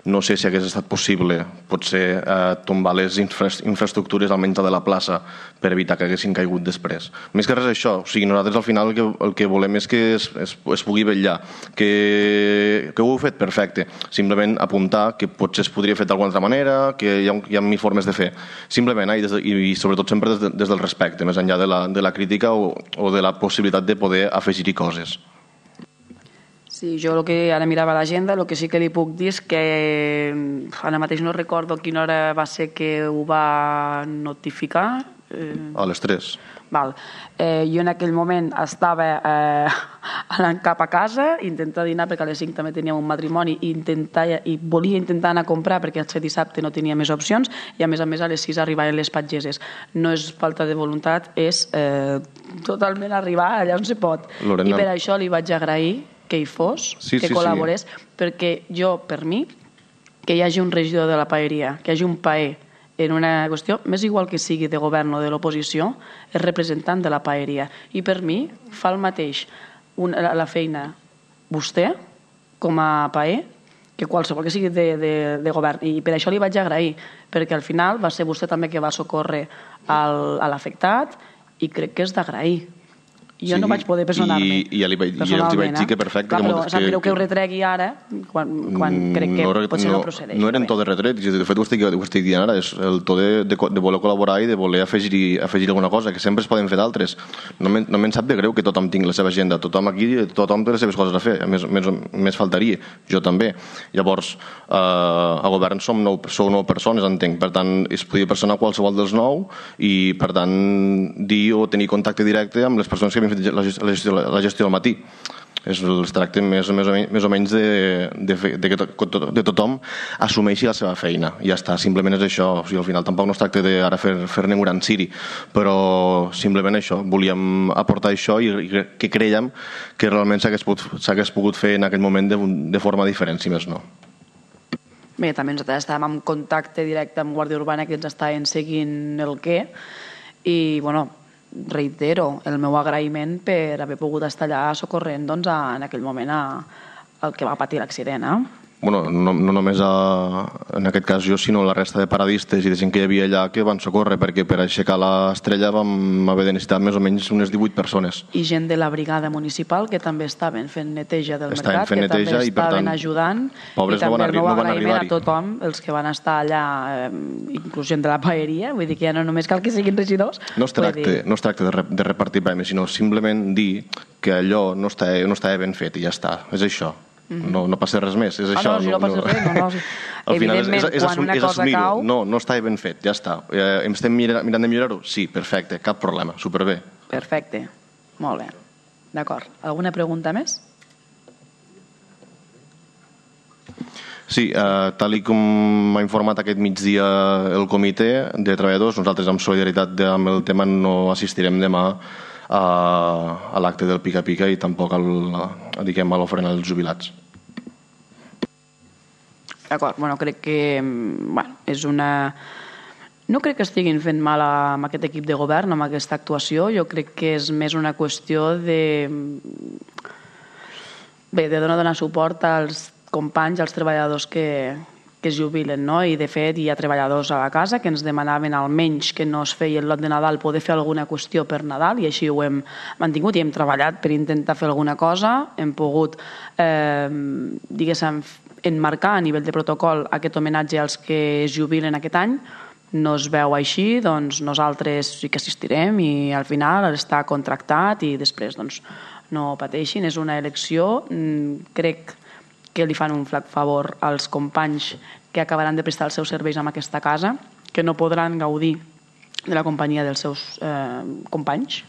no sé si hagués estat possible, potser eh, tombar les infra infraestructures almenys de la plaça per evitar que haguessin caigut després. Més que res això, o sigui, nosaltres al final el que, el que volem és que es, es, es pugui vetllar. Que, que ho heu fet perfecte. Simplement apuntar que potser es podria fer d'alguna altra manera, que hi ha, hi ha mil formes de fer. Simplement, eh, i, des de, i sobretot sempre des, de, des del respecte, més enllà de la, de la crítica o, o de la possibilitat de poder afegir-hi coses.
Sí, jo el que ara mirava l'agenda, el que sí que li puc dir és que ara mateix no recordo a quina hora va ser que ho va notificar, Eh...
A les tres.
Val. Eh, jo en aquell moment estava eh, anant cap a casa, intentar dinar perquè a les cinc també teníem un matrimoni i, intentar, i volia intentar anar a comprar perquè el dissabte no tenia més opcions i a més a més a les sis arribaven les patgeses. No és falta de voluntat, és eh, totalment arribar allà on se pot. Lorena... I per això li vaig agrair que hi fos, sí, que sí, col·laborés, sí. Perquè jo, per mi, que hi hagi un regidor de la paeria, que hi hagi un paer en una qüestió, més igual que sigui de govern o de l'oposició, és representant de la paeria. I per mi fa el mateix una, la feina vostè, com a paer, que qualsevol que sigui de, de, de govern. I per això li vaig agrair, perquè al final va ser vostè també que va socórrer al, a l'afectat i crec que és d'agrair. Jo sí, no vaig poder personar-me.
I, i ja li vaig, ja els vaig dir que perfecte.
Clar,
que
però sap greu que, que ho retregui ara, quan, quan crec que no, potser no, no procedeix.
No eren to de retret, de fet ho estic, ho estic dient ara, és el to de, de, de voler col·laborar i de voler afegir, afegir alguna cosa, que sempre es poden fer d'altres. No me'n no sap de greu que tothom tingui la seva agenda, tothom aquí, tothom té les seves coses a fer, més, més, més faltaria, jo també. Llavors, eh, a govern som nou, sou nou persones, entenc, per tant, es podia personar qualsevol dels nou i, per tant, dir o tenir contacte directe amb les persones que havien fet la gestió la gestió del matí. Es tracta més, més, o menys, més o menys de, de, de que to, de tothom assumeixi la seva feina. Ja està, simplement és això. O sigui, al final tampoc no es tracta d'ara fer, fer-ne un gran ciri, però simplement això. Volíem aportar això i, i que creiem que realment s'hagués pogut, pogut fer en aquell moment de, de forma diferent, si més no.
Bé, també nosaltres estàvem en contacte directe amb Guàrdia Urbana, que ens estaven seguint el què, i, bueno, reitero el meu agraïment per haver pogut estar allà socorrent doncs, en aquell moment a, al que va patir l'accident. Eh?
Bueno, no, no només a, en aquest cas jo, sinó la resta de paradistes i de gent que hi havia allà que van socórrer, perquè per aixecar l'estrella vam haver de necessitar més o menys unes divuit persones.
I gent de la brigada municipal que també estaven fent neteja del
estaven
mercat, que
neteja,
també
i, per
estaven
tant,
ajudant,
pobres
i també
no
el meu
no
agraïment a tothom, els que van estar allà, eh, inclús gent de la paeria, vull dir que ja no només cal que siguin regidors.
No es tracta, dir... no es tracta de, re, de repartir premis, sinó simplement dir que allò no estava, no estava ben fet i ja està, és això. No, no passa res més, és
ah,
això.
No, si no passa res, no, no.
Al final és, és, és,
quan una
és
cosa cau...
No, no està ben fet, ja està. Eh, estem mirant, mirant de millorar-ho? Sí, perfecte, cap problema, superbé.
Perfecte, molt bé. D'acord. Alguna pregunta més?
Sí, eh, tal i com m'ha informat aquest migdia el comitè de treballadors, nosaltres amb solidaritat amb el tema no assistirem demà a, a l'acte del pica-pica i tampoc al, a, diguem, a l'ofrena dels jubilats.
D'acord, bueno, crec que bueno, és una... No crec que estiguin fent mal amb aquest equip de govern, amb aquesta actuació. Jo crec que és més una qüestió de... Bé, de donar, donar suport als companys, als treballadors que, que es jubilen, no? I de fet hi ha treballadors a la casa que ens demanaven almenys que no es feia el lot de Nadal poder fer alguna qüestió per Nadal i així ho hem mantingut i hem treballat per intentar fer alguna cosa. Hem pogut, eh, diguéssim, enmarcar a nivell de protocol aquest homenatge als que es jubilen aquest any. No es veu així, doncs nosaltres sí que assistirem i al final està contractat i després doncs, no pateixin. És una elecció, crec que li fan un flac favor als companys que acabaran de prestar els seus serveis en aquesta casa, que no podran gaudir de la companyia dels seus eh, companys.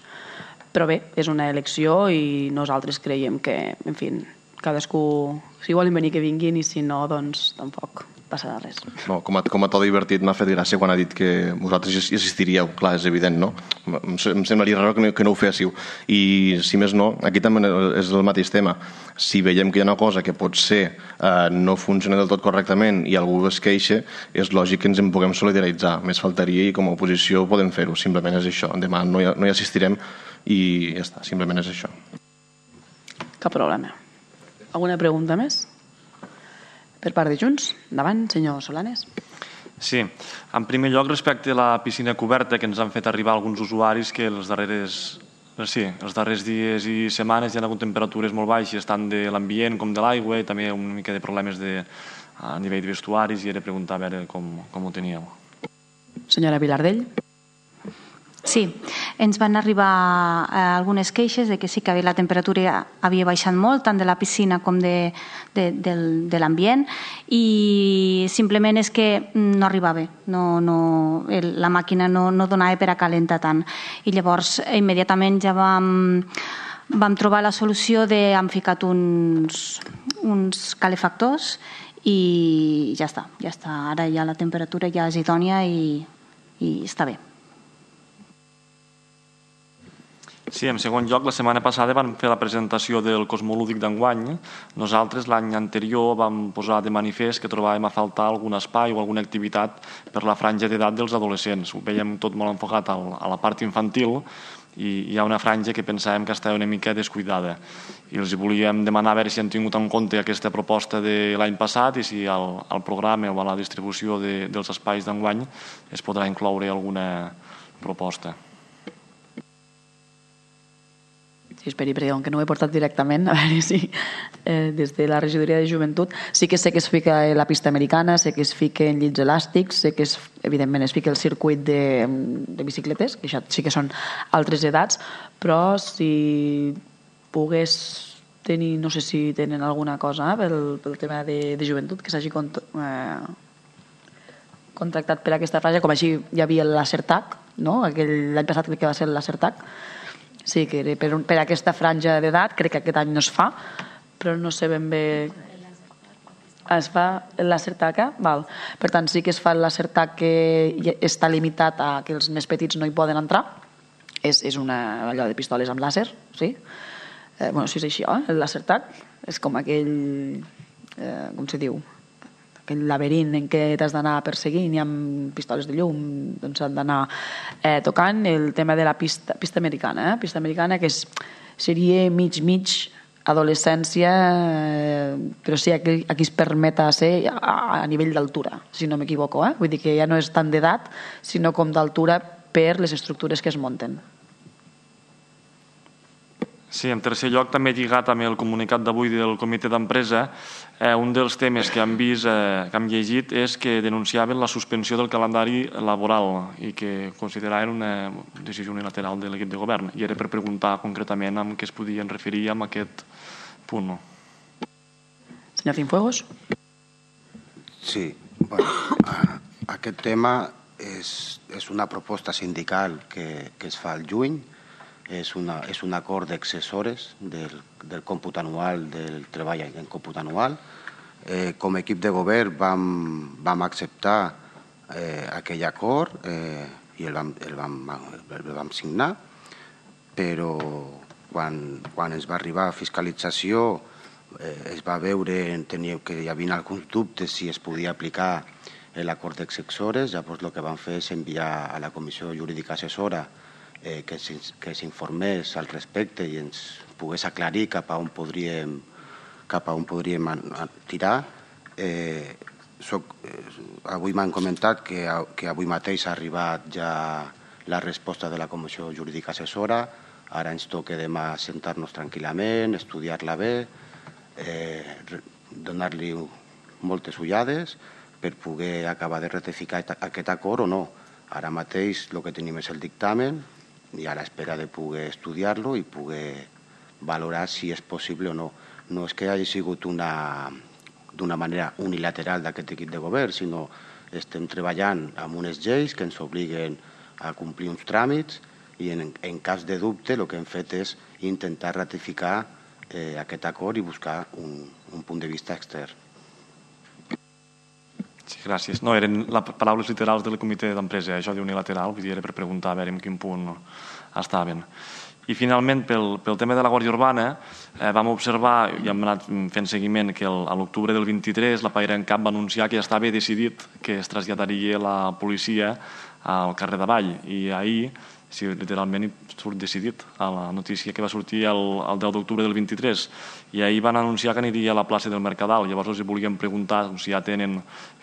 Però bé, és una elecció i nosaltres creiem que, en fi, cadascú, si volen venir que vinguin i si no, doncs tampoc passarà res.
No, com, a, com a tot divertit m'ha fet gràcia quan ha dit que vosaltres hi assistiríeu. Clar, és evident, no? Em, em semblaria raro que no, que no ho féssiu. I si més no, aquí també és el mateix tema. Si veiem que hi ha una cosa que potser eh, no funciona del tot correctament i algú es queixa, és lògic que ens en puguem solidaritzar. Més faltaria i com a oposició podem fer-ho. Simplement és això. Demà no hi, no hi assistirem i ja està. Simplement és això.
Cap problema. Alguna pregunta més? Per part de Junts. Endavant, senyor Solanes.
Sí. En primer lloc, respecte a la piscina coberta, que ens han fet arribar alguns usuaris que els darreres, sí, els darrers dies i setmanes hi ha hagut temperatures molt baixes, tant de l'ambient com de l'aigua, i també una mica de problemes de, a nivell de vestuaris, i era preguntar a veure com, com ho teníeu.
Senyora Vilardell.
Sí, ens van arribar eh, algunes queixes de que sí que la temperatura havia baixat molt, tant de la piscina com de, de, de, de l'ambient, i simplement és que no arribava, no, no, el, la màquina no, no donava per a calentar tant. I llavors immediatament ja vam, vam trobar la solució de hem ficat uns, uns calefactors i ja està, ja està. Ara ja la temperatura ja és idònia i, i està bé.
Sí, en segon lloc, la setmana passada vam fer la presentació del Cosmolúdic d'enguany. Nosaltres l'any anterior vam posar de manifest que trobàvem a faltar algun espai o alguna activitat per la franja d'edat dels adolescents. Ho veiem tot molt enfocat a la part infantil i hi ha una franja que pensàvem que estava una mica descuidada. I els volíem demanar a veure si han tingut en compte aquesta proposta de l'any passat i si al, al programa o a la distribució de, dels espais d'enguany es podrà incloure alguna proposta.
Sí, esperi, perquè com que no ho he portat directament, a veure si eh, des de la regidoria de joventut sí que sé que es fica la pista americana, sé que es fica en llits elàstics, sé que es, evidentment es fica el circuit de, de bicicletes, que això sí que són altres edats, però si pogués tenir, no sé si tenen alguna cosa eh, pel, pel tema de, de joventut, que s'hagi cont, eh, contractat per aquesta franja, com així hi havia l'Acertac, no? L'any passat crec que va ser l'Acertac. Sí, que per, per aquesta franja d'edat, crec que aquest any no es fa, però no sé ben bé... Es fa l'Acertac, val. Per tant, sí que es fa l'Acertac que està limitat a que els més petits no hi poden entrar. És, és una allò de pistoles amb làser, sí? Eh, bueno, sí, és així, eh? L'Acertac és com aquell... Eh, com se diu? Aquell laberint en què t'has d'anar perseguint i amb pistoles de llum doncs s'han d'anar eh, tocant. El tema de la pista, pista americana, eh? Pista americana que és, seria mig-mig adolescència, eh, però sí, aquí, aquí es permeta ser a, a nivell d'altura, si no m'equivoco, eh? Vull dir que ja no és tant d'edat, sinó com d'altura per les estructures que es munten.
Sí, en tercer lloc, també lligat amb el comunicat d'avui del comitè d'empresa, eh, un dels temes que hem vist, eh, que hem llegit, és que denunciaven la suspensió del calendari laboral i que consideraven una decisió unilateral de l'equip de govern. I era per preguntar concretament amb què es podien referir amb aquest punt.
Senyor Cienfuegos.
Sí, bueno, aquest tema és, és una proposta sindical que, que es fa al juny. És, una, és un acord d'accessores del, del còmput anual, del treball en còmput anual. Eh, com a equip de govern vam, vam acceptar eh, aquell acord eh, i el vam, el, vam, el vam signar, però quan, quan ens va arribar a fiscalització eh, es va veure tenia, que hi havia alguns dubtes si es podia aplicar l'acord d'accessores. Llavors el que vam fer és enviar a la Comissió Jurídica Assessora Eh, que s'informés al respecte i ens pogués aclarir cap a on podríem, cap a on podríem tirar. Eh, soc, eh, avui m'han comentat que, que avui mateix ha arribat ja la resposta de la Comissió Jurídica Assessora. Ara ens toca demà sentar-nos tranquil·lament, estudiar-la bé, eh, donar-li moltes ullades per poder acabar de ratificar aquest acord o no. Ara mateix el que tenim és el dictamen i a l'espera de poder estudiar-lo i poder valorar si és possible o no. No és que hagi sigut una, d'una manera unilateral d'aquest equip de govern, sinó estem treballant amb unes lleis que ens obliguen a complir uns tràmits i en, en cas de dubte el que hem fet és intentar ratificar eh, aquest acord i buscar un, un punt de vista extern.
Sí, gràcies. No, eren les paraules literals del comitè d'empresa, això d'unilateral, vull dir, era per preguntar a veure en quin punt estaven. I finalment, pel, pel tema de la Guàrdia Urbana, eh, vam observar, i hem anat fent seguiment, que el, a l'octubre del vint-i-tres la PaiRenCap va anunciar que ja estava decidit que es traslladaria la policia al carrer d'Avall. I ahir, sí, literalment surt decidit a la notícia que va sortir el, el deu d'octubre del vint-i-tres. I ahir van anunciar que aniria a la plaça del Mercadal. Llavors els volíem preguntar si ja tenen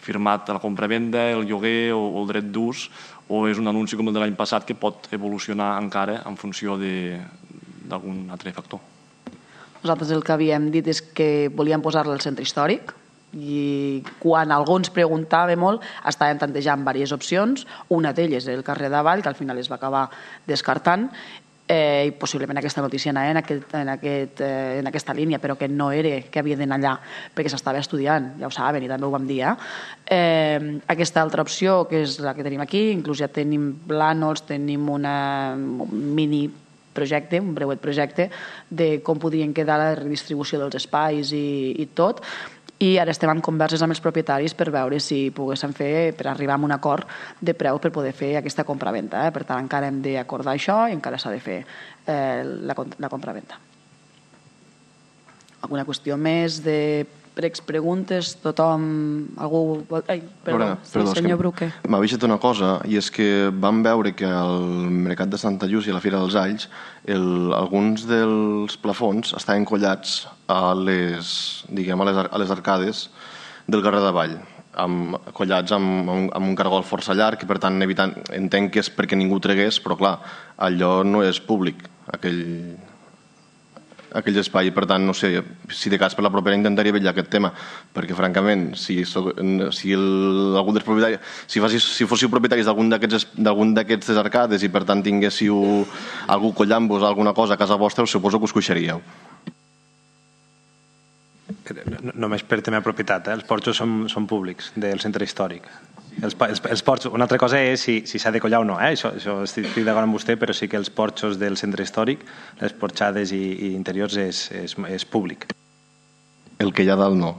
firmat la compravenda, el lloguer o, o el dret d'ús, o és un anunci com el de l'any passat que pot evolucionar encara en funció d'algun altre factor.
Nosaltres el que havíem dit és que volíem posar-la al centre històric, i quan algú ens preguntava molt estàvem tantejant diverses opcions, una d'elles el carrer d'Avall, que al final es va acabar descartant, eh, i possiblement aquesta notícia anava en, aquest, en, aquest, eh, en aquesta línia, però que no era que havia d'anar allà perquè s'estava estudiant, ja ho saben i també ho vam dir. Eh? Eh, aquesta altra opció, que és la que tenim aquí, inclús ja tenim plànols, tenim una, un mini projecte, un breuet projecte de com podrien quedar la redistribució dels espais i, i tot, i ara estem en converses amb els propietaris per veure si poguéssim fer, per arribar a un acord de preu per poder fer aquesta compraventa. Eh? Per tant, encara hem d'acordar això i encara s'ha de fer eh, la, la compraventa. Alguna qüestió més de pregs, preguntes? Tothom... Algú... Ai, perdó, Lorena, sí, perdó senyor Bruque.
M'ha vist una cosa, i és que vam veure que al Mercat de Santa Llúcia i a la Fira dels Alls el, alguns dels plafons estaven collats a les, diguem, a les, a les arcades del carrer d'Avall, amb, collats amb, amb, amb un cargol força llarg i per tant evitant, entenc que és perquè ningú tregués, però clar, allò no és públic, aquell... aquell espai, per tant, no sé, si de cas per la propera intentaria vetllar aquest tema, perquè francament, si, soc, si el, algun dels propietaris, si, facis, si fóssiu propietaris d'algun d'aquests arcades i per tant tinguéssiu algú collant-vos alguna cosa a casa vostra, us suposo que us coixaríeu.
Només per tema de propietat, eh? Els porxos són, són públics del centre històric. Els, els, els porxos, una altra cosa és si s'ha si de collar o no, eh? això, això estic, estic d'acord amb vostè, però sí que els porxos del centre històric, les porxades i, i interiors és, és, és públic.
El que hi ha dalt no.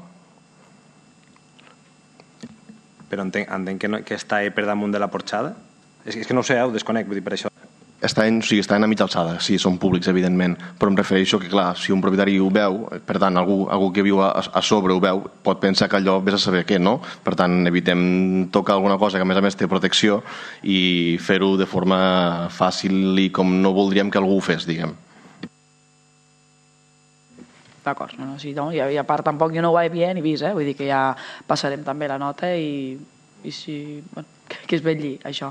Però entenc, entenc que, no, que està per damunt de la porxada? És, és que no ho sé, ho desconec, vull dir, per això.
Estan, o sigui, estan a mitja alçada, sí, són públics, evidentment, però em refereixo que, clar, si un propietari ho veu, per tant, algú, algú que viu a, a sobre ho veu, pot pensar que allò vés a saber què, no? Per tant, evitem tocar alguna cosa que, a més a més, té protecció i fer-ho de forma fàcil i com no voldríem que algú ho fes, diguem.
D'acord, no, no, sí, no, i a part tampoc jo no ho he bien i vist, eh? Vull dir que ja passarem també la nota i, i si... Bueno, que es vetlli això,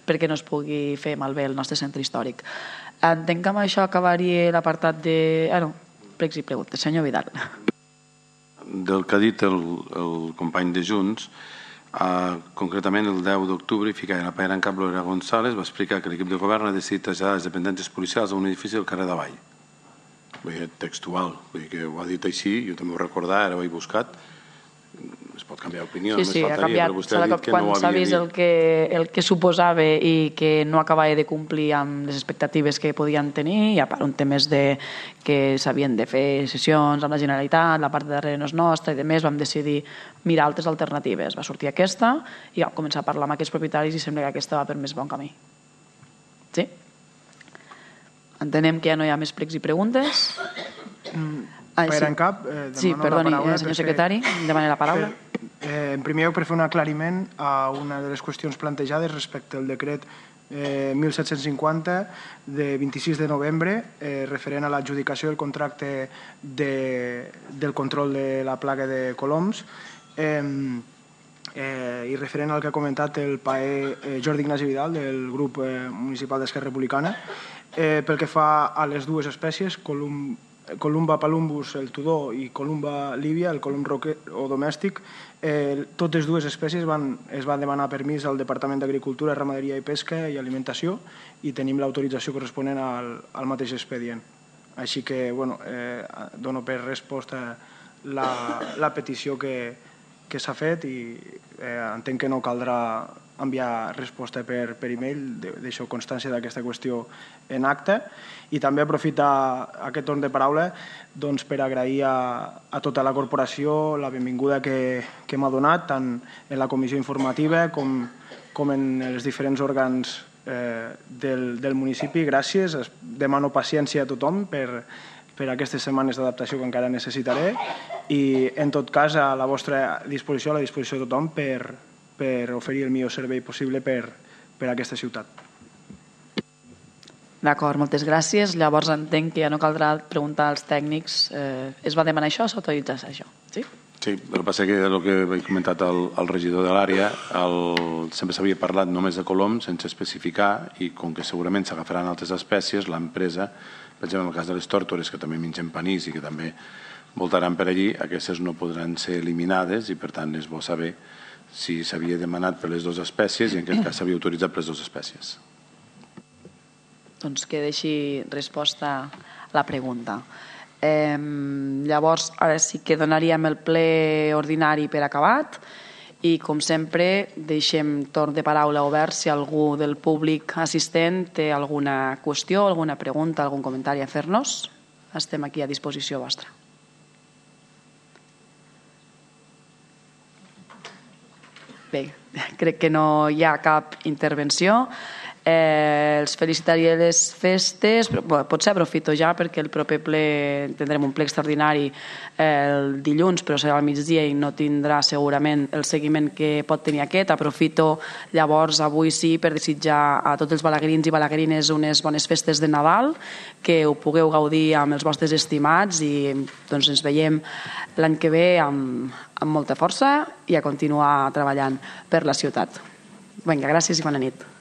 perquè no es pugui fer malbé el nostre centre històric. Entenc que amb això acabaria l'apartat de... Ah, no, pregs i preguntes. Senyor Vidal.
Del que ha dit el, el company de Junts, eh, concretament el deu d'octubre, Ficaire Pairan Cap Lorena González va explicar que l'equip de govern ha decidit traslladar les dependències policials a un edifici del carrer d'Avall. Vull dir, textual, vull dir que ho ha dit així, jo també ho recordava, ara ho he buscat, es pot canviar d'opinió,
sí, sí, ha canviat. Quan s'ha vist el que, el que suposava i que no acabava de complir amb les expectatives que podien tenir, i a part un temes de que s'havien de fer sessions amb la Generalitat, la part de darrere no és nostra i demés, vam decidir mirar altres alternatives. Va sortir aquesta i vam començar a parlar amb aquests propietaris i sembla que aquesta va per més bon camí. Sí? Entenem que ja no hi ha més pregs i preguntes.
Ah, sí. Cap, eh,
sí, perdoni,
la paraula,
eh, senyor secretari, demana la paraula.
Per, eh, en primer lloc, per fer un aclariment a una de les qüestions plantejades respecte al decret eh, mil set-cents cinquanta de vint-i-sis de novembre eh, referent a l'adjudicació del contracte de, del control de la plaga de coloms eh, eh, i referent al que ha comentat el paer eh, Jordi Ignasi Vidal del grup eh, municipal d'Esquerra Republicana eh, pel que fa a les dues espècies, colum Columba palumbus, el tudó, i Columba líbia, el colum roquer o domèstic, eh, totes dues espècies van, es van demanar permís al Departament d'Agricultura, Ramaderia i Pesca i Alimentació i tenim l'autorització corresponent al, al mateix expedient. Així que, bueno, eh, dono per resposta la, la petició que, que s'ha fet i eh, entenc que no caldrà enviar resposta per, per e-mail, deixo constància d'aquesta qüestió en acte i també aprofitar aquest torn de paraula doncs, per agrair a, a tota la corporació la benvinguda que, que m'ha donat tant en la comissió informativa com, com en els diferents òrgans eh, del, del municipi. Gràcies, demano paciència a tothom per, per aquestes setmanes d'adaptació que encara necessitaré i en tot cas a la vostra disposició, a la disposició de tothom per per oferir el millor servei possible per, per a aquesta ciutat.
D'acord, moltes gràcies. Llavors entenc que ja no caldrà preguntar als tècnics. Eh, es va demanar això o s'autoritza això? Sí?
Sí, el que passa que el que he comentat al, al regidor de l'àrea, sempre s'havia parlat només de coloms sense especificar i com que segurament s'agafaran altres espècies, l'empresa, per exemple, en el cas de les tòrtores, que també mengen panís i que també voltaran per allí, aquestes no podran ser eliminades i per tant és bo saber si s'havia demanat per les dues espècies i en aquest cas s'havia autoritzat per les dues espècies.
Doncs que deixi resposta a la pregunta. Eh, llavors, ara sí que donaríem el ple ordinari per acabat i, com sempre, deixem torn de paraula obert si algú del públic assistent té alguna qüestió, alguna pregunta, algun comentari a fer-nos. Estem aquí a disposició vostra. Bé, crec que no hi ha cap intervenció. Eh, els felicitaré les festes, però, bé, potser aprofito ja perquè el proper ple tindrem un ple extraordinari el dilluns, però serà al migdia i no tindrà segurament el seguiment que pot tenir aquest. Aprofito llavors avui sí per desitjar a tots els balaguerins i balaguerines unes bones festes de Nadal, que ho pugueu gaudir amb els vostres estimats i doncs ens veiem l'any que ve amb, amb molta força i a continuar treballant per la ciutat. Vinga, gràcies i bona nit.